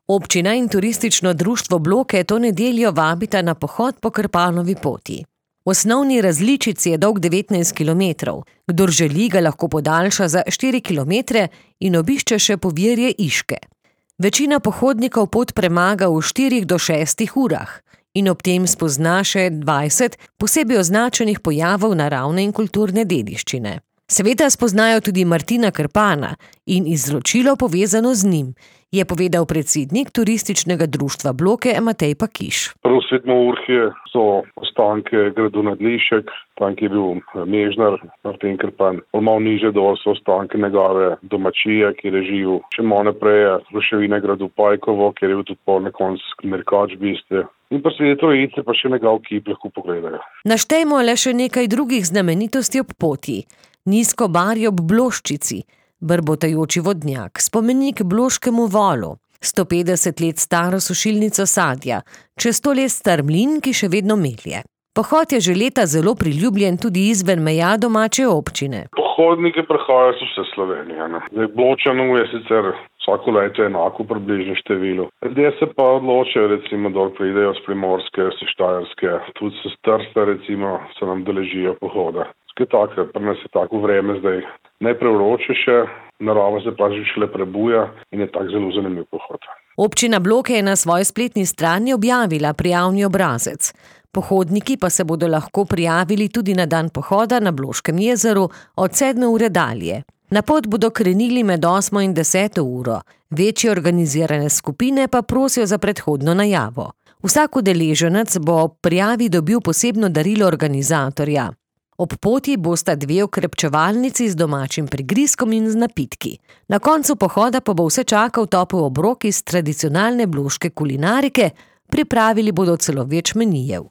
Občina in turistično društvo Bloke to nedeljo vabita na pohod po Krpanovi poti. V osnovni različici je dolg 19 kilometrov. Kdor želi, ga lahko podaljša za 4 kilometre in obišče še povirje Iške. Večina pohodnikov pot premaga v 4 do 6 urah in ob tem spozna še 20 posebej označenih pojavov naravne in kulturne dediščine. Seveda spoznajo tudi Martina Krpana in izročilo povezano z njim, je povedal predsednik turističnega društva Bloke Matej Pakiš. Prvo svetno urhje so ostanke gradu Nadlišek, tam je bil mežnar Martin Krpan. Malo niže dol so ostanke njegove domačije, kjer je živel. Še malo naprej ruševine gradu Pajkovo, kjer je bil tudi pol na koncu Merkač biste. In pa seveda Trojice, pa še njegov kip lahko pogledajo. Naštejmo le še nekaj drugih znamenitosti ob poti. Nizko barje ob Bloščici, brbotajoči vodnjak, spomenik Bloškemu volu, 150 let staro sušilnico sadja, čez 100 let star mlin, ki še vedno melje. Pohod je že leta zelo priljubljen tudi izven meja domače občine. Pohodniki prihajajo z vse Slovenije. Zdaj Bločanov je sicer vsako leto enako približno število. Ljudje se pa odločajo, recimo, da pridejo z Primorske, z Štajerske, tudi s Trsta, recimo, se nam deležijo pohoda. Pri nas je tako vreme zdaj najprevroče še, narava se pa že šele prebuja in je tak zelo zanimiv pohod. Občina Bloke je na svoji spletni strani objavila prijavni obrazec. Pohodniki pa se bodo lahko prijavili tudi na dan pohoda na Bloškem jezeru od 7 ure dalje. Na pot bodo krenili med 8 in 10 uro. Večje organizirane skupine pa prosijo za predhodno najavo. Vsak udeleženec bo ob prijavi dobil posebno darilo organizatorja. Ob poti bosta 2 okrepčevalnici z domačim prigrizkom in z napitki. Na koncu pohoda pa bo vse čakal topel obrok iz tradicionalne bloške kulinarike, pripravili bodo celo več menijev.